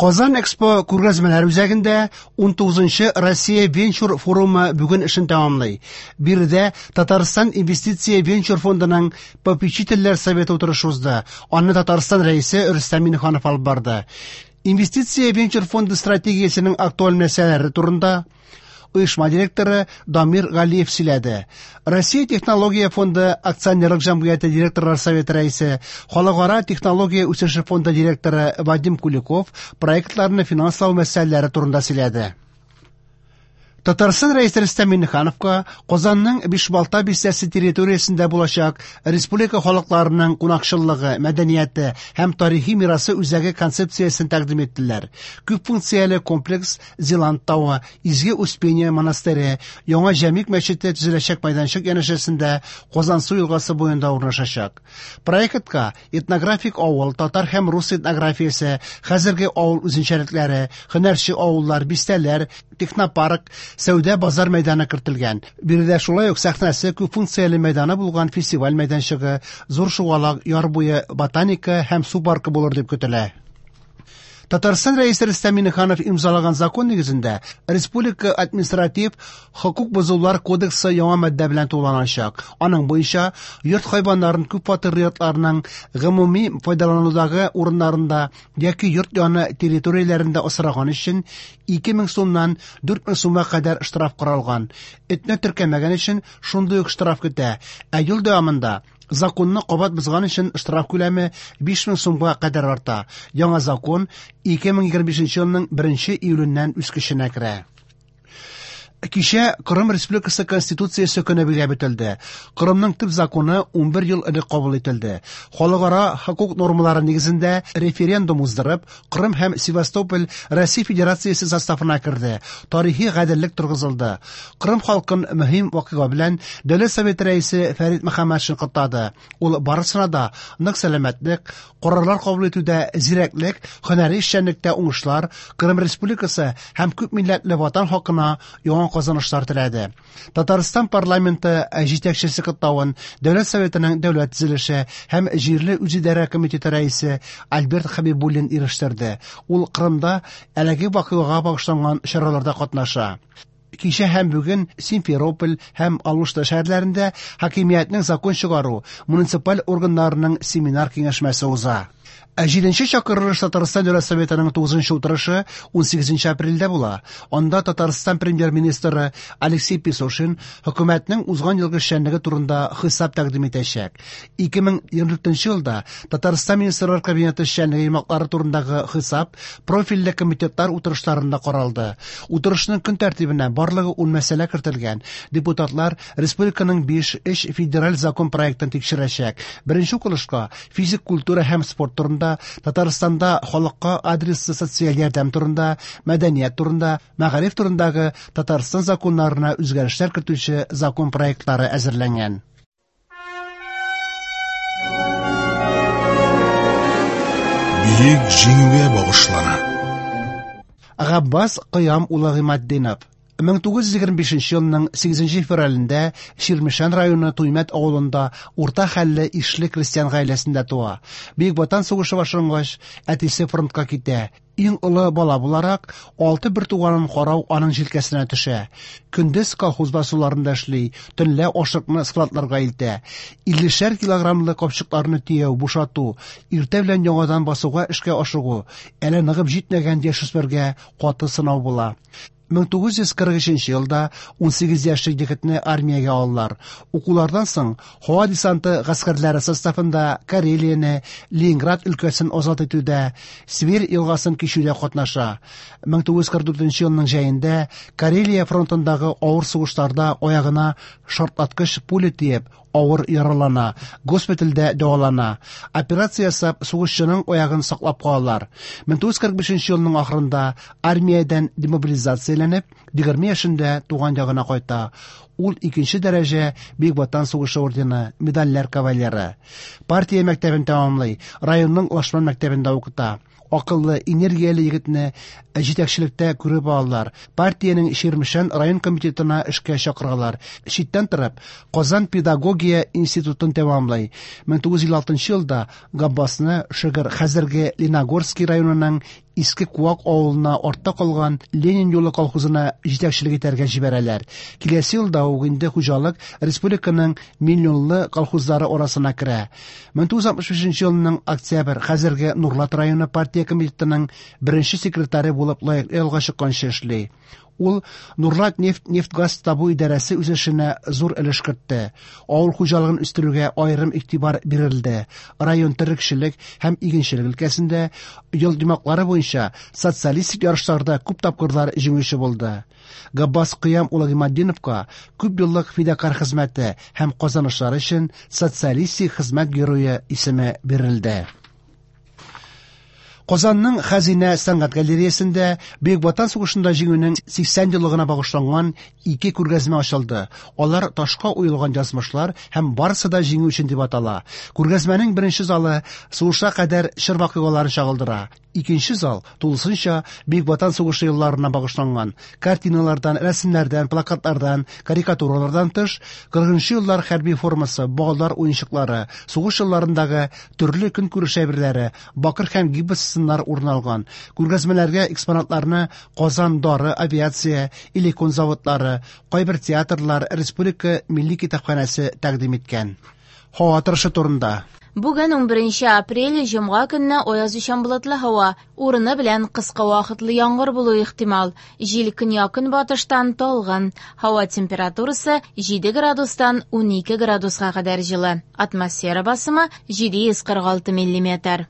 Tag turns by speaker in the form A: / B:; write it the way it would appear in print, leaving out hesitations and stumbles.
A: Казан Экспо күргәзмәләр үзәгендә 19-нчы Россия венчур форумы бүген эшен тәмамлый. Биредә Татарстан инвестиция венчур фондының попечительләр советы утырышы узды. Аны Татарстан Рәисе Рөстәм Миңнеханов алып барды. Инвестиция венчур фонды стратегиясенең актуаль мәсьәләләре турында оешма директоры Дамир Галиев сөйләде. Россия технология фонды акционерлык җәмгыяте директорлар советы рәисе, Халыкара технология үсеше фонды директоры Вадим Куликов проектларны финанслау мәсьәләләре турында сөйләде. Татарстан Рәисе Рөстәм Миңнехановка Казанның Бишбалта бистәсе территориясендә булачак республика халыкларының кунакчыллыгы, мәдәнияте һәм тарихи мирасы үзәге концепциясен тәкъдим иттеләр. Күп функцияле комплекс Зилант тавы, Изге Успение монастыре, Яңа Җәмигъ мәчете төзеләчәк мәйданчык янәшәсендә Казансу елгасы буенда урнашачак. Проектка этнографик авыл, татар һәм рус этнографиясе, хәзерге авыл үзенчәлекләре, һөнәрче авыллар, бистәләр, технопарк, сәүдә базар мәйданы кертелгән. Биредә шулай ук сәхнәсе күп функцияле мәйданы булган фестиваль мәйданчыгы, зур шугалак, яр буе ботаника һәм су паркы булыр дип көтелә. Татарстан Рәисе Рөстәм Миңнеханов имзалаган закон нигезендә Республика административ хокук бозулар кодексы яңа маддә белән тулыланачак. Аның буенча йорт хайваннарын күп фатирлы йортларның гомуми файдаланудагы урыннарында яки йорт яны территорияләрендә асраган өчен 2000 сумнан 4000 сумга кадәр штраф каралган. Этне теркәмәгән өчен шундый ук штраф көтә. Ә ел дәвамында законны кабат бозган өчен штраф күләме 5000 сумга кадәр арта. Яңа закон 2025 елның 1 июленнән үз көченә керә. Кичә Кырым Республикасы Конституциясе көне билгеләп үтелде. Кырымның төп законы 11 ел элек кабул ителде. Халыкара хокук нормалары нигезендә референдум уздырып, Кырым һәм Севастополь Россия Федерациясе составына керде. Тарихи гаделлек торгызылды. Кырым халкын мөһим вакыйга белән Дәүләт Советы рәисе Фәрит Мөхәммәтшин котлады. Ул барысына да нык сәламәтлек, карарлар кабул итүдә зирәклек, һөнәри эшчәнлектә уңышлар, Кырым Республикасы һәм күп милләтле ватан хакына яңа казанышлар теләде. Татарстан парламенты җитәкчесе котлавын Дәүләт Советының дәүләт төзелеше һәм җирле үзидарә комитеты рәисе Альберт Хәбибуллин ирештерде. Ул Кырымда әлеге вакыйгага багышланган чараларда катнаша. Кичә һәм бүген Симферополь һәм Алушта шәһәрләрендә хакимиятнең закон чыгару муниципаль органнарының семинар киңәшмәсе уза. Ә 7-нче чакырылыш Татарстан Дәүләт Советының 9-нчы утырышы 18 апрельдә була. Анда Татарстан премьер-министры Алексей Песошин хөкүмәтнең узган елгы эшчәнлеге турында хисап тәкъдим итәчәк. 2024 елда Татарстан Министрлар Кабинеты эшчәнлеге йомгаклары турындагы хисап профильле комитетлар утырышларында каралды. Утырышның көн тәртибенә барлыгы 10 мәсьәлә кертелгән. Депутатлар республиканың 5 федераль закон проектын тикшерәчәк. Беренче укылышка физик культура һәм спорт турында, Татарстанда халыкка адреслы социаль ярдәм турында, мәдәният турында, мәгариф турындагы Татарстан законнарына үзгәрешләр кертүче закон проектлары әзерләнгән.
B: Бөек Җиңүгә багышлана.
A: Габбас Кыям улы Гыйматдинов 1925 елның 8 февралендә Чирмешән районы Туймәт авылында урта хәлле ишле крестьян гаиләсендә туа. Бөек Ватан сугышы башлангач, әтисе фронтка китә. Иң олы бала буларак, 6 бертуганын карау аның җилкәсенә төшә. Көндез колхоз басуларында эшли, төнлә ашыкны складларга илтә. 50 килограммлы капчыкларны төяү, бушату, иртә белән яңадан басуга эшкә ашыгу, әле ныгып җитмәгән яшүсмергә каты сынау була. 1943 елда 18 яшьлек егетне армиягә алалар. Укулардан соң һава десанты гаскәрләре составында Карелияне, Ленинград өлкәсен азат итүдә, Свирь елгасын кичүдә катнаша. 1944 елның җәендә Карелия фронтындагы авыр сугышларда аягына шартлаткыч пуля тиеп, авыр яралана, госпитальдә дәвалана. Операция ясап, сугышчының аягын саклап калалар. 1945 елның ахырында армиядән демобилизацияләнеп, 20 яшендә туган ягына кайта. Ул икенче дәрәҗә Бөек Ватан сугышы ордены, медальләр кавалеры. Партия мәктәбен тәмамлый, районның Лашман мәктәбендә укыта. Акыллы, энергияле егетне җитәкчелектә күреп алалар. Партиянең Чирмешән район комитетына эшкә чакыралар. Читтән торып, Казан педагогия институтын тәмамлый. 1956 елда Габбасны Шөгер хәзерге Леногорский районының Иске Куак авылына артта калган Ленин юлы колхозына җитәкчелек итәргә җибәрәләр. Киләсе елда ук инде хуҗалык республиканың миллионлы колхозлары арасына керә. 1965 елның октябрь хәзерге Нурлат районы партия комитетының беренче секретаре булып лаеклы ялга чыкканчы эшли. Ул Нурлат нефть нефтьгаз табу идарәсе үсешенә зур өлеш кертте. Авыл хуҗалыгын үстерүгә аерым игътибар бирелде. Район терлекчелек һәм игенчелек өлкәсендә ел йомгаклары буенча социалистик ярышларда күп тапкырлар җиңүче булды. Габбас Кыям улы Гыйматдиновка күп еллык фидакарь хезмәте һәм казанышлары өчен Социалистик хезмәт герое исеме бирелде. Казанның Хәзинә сәнгать галереясендә Бөек Ватан сугышында җиңүнең 80 еллыгына багышланган ике күргәзмә ачылды. Алар ташка уелган язмышлар һәм барысы да җиңү өчен дип атала. Күргәзмәнең беренче залы сугышка кадәр чор вакыйгаларын чагылдыра. Икенче зал тулысынча Бөек Ватан сугышы елларына багышланган. Картиналардан, рәсемнәрдән, плакатлардан, карикатуралардан тыш, 40 еллар хәрби формасы, балалар уенчыклары, сугыш елларындагы төрле көнкүреш әйберләре, бакыр һәм гипс сыннар урын алган. Күргәзмәләргә экспонатларны Казан дары, авиация, Элекон заводлары, кайбер театрлар, Республика милли китапханәсе тәкъдим иткән. Һава торышы турында.
C: Бүген 11 апрель, җомга көнне аязучан болытлы һава, урыны белән кыска вакытлы яңгыр булуы ихтимал. Җил көньяк-көнбатыштан талгын. Һава температурасы 7 градустан 12 градуска кадәр җылы. Атмосфера басымы 746 миллиметр.